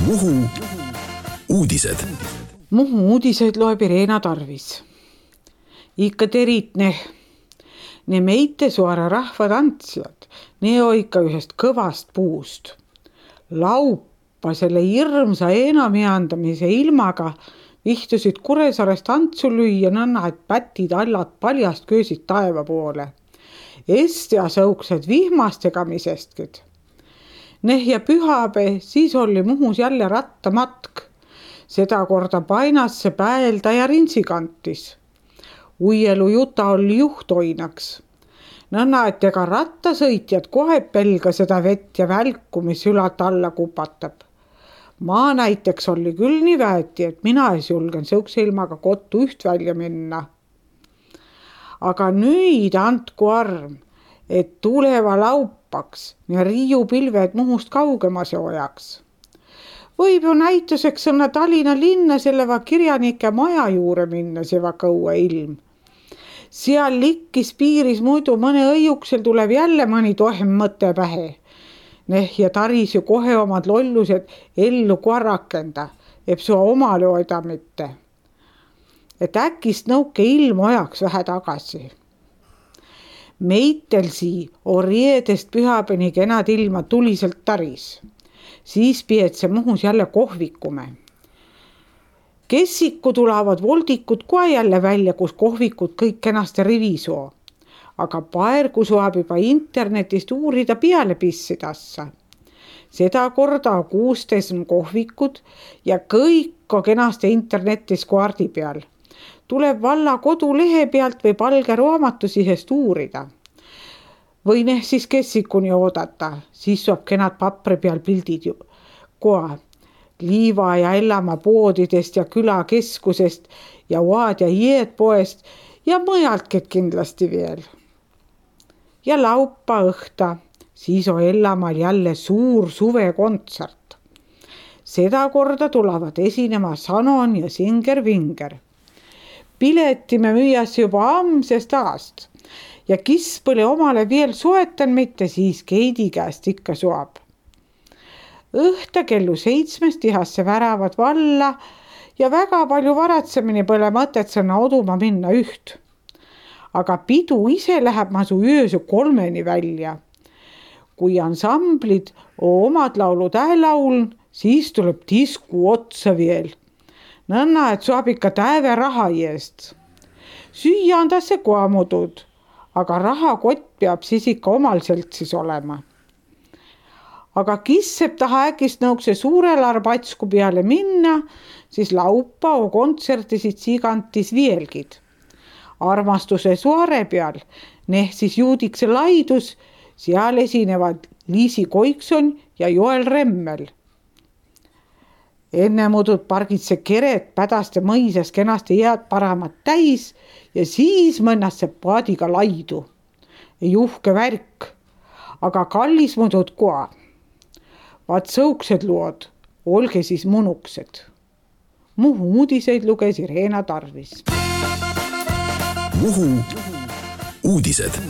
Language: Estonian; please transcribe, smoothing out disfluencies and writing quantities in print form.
Muhu uudised. Muhu uudiseid loeb Irena Tarvis. Ikka terit ne meite suara rahvatantsijad, ne on ikka ühest kõvast puust. Laupa selle hirmsa enamiandamise ilmaga vihtusid Kuressaarest tantsu lüüa nõnna, et pätid allad paljast köösid taeva poole. Estia sõuksed vihmastegamisestki. Ja pühapäev, siis oli Muhus jälle rattamatk. Seda korda Painasse Päelda ja Rintsikantis. Uielu juta oli juhtoinaks. Nõnna, et ega rattasõitjad kohe pelga seda vett ja välku, mis ülat alla kupatab. Ma näiteks oli küll nii väeti, et mina ei julgen sõukse ilmaga kotu üht välja minna. Aga nüüd andku arm, et tuleva laupaks ja riiupilved Muhust kaugemas hoiaks. Võib ju näituseks õnne Tallinna linna selleva kirjanike maja juure minna seva kõue ilm. Seal likkis piiris muidu mõne õiuksel tuleb jälle mõni tohem mõte pähe. Ja taris ju kohe omad lollused ellu korrakenda, eb sua omale hoida mitte. Et äkist nõuke ilm ojaks vähe tagasi. Meitelsi on riedest pühapäni kenad ilma tuliselt taris. Siis pietse Muhus jälle kohvikume. Kessiku tulevad voldikud kohe jälle välja, kus kohvikud kõik kenasti rivisoo. Aga paergu saab juba internetist uurida peale pissidassa. Seda korda 16 kohvikud ja kõik on kenasti internetis kaardi peal. Tuleb valla kodulehe pealt või palge raamatu sisest uurida. Või siis kessikuni oodata, siis saab kenad papri peal pildid ju kohe. Liiva ja Ellamaa poodidest ja külakeskusest ja Oad ja Jeed poest ja mõjaltki kindlasti veel. Ja laupa õhta, siis on Ellamaal jälle suur suvekontsert. Seda korda tulevad esinema Sanon ja Singer Vinger. Pileti me müüas juba amsest aast ja kis pole omale veel soetan mitte, siis Keidi käest ikka soab. Õhta kellu 7 tihasse väravad valla ja väga palju varatsemini pole mõtet sõna oduma minna üht. Aga pidu ise läheb masu öösü 3 välja. Kui ansamblid omad laulud lauln, siis tuleb disku otsa veel. Nõnna, et saab ikka täve raha eest. Süüa on tasse koamudud, aga rahakott peab siis ikka omal seltsis olema. Aga kisseb taha äkist nõukse suurel arbatsku peale minna, siis laupa o kontsertisid Siigantis vielgid. Armastuse suare peal, siis Juudikse laidus, seal esinevad Liisi Koikson ja Joel Remmel. Enne mudud pargitse keret pädaste mõisas kenasti jääd paramat täis ja siis mõnnasse paadiga laidu. Ei uhke värk, aga kallis mudud koa. Vaat sõuksed lood, olge siis munuksed. Muhu uudiseid luges Irena Tarvis. Muhu uudised.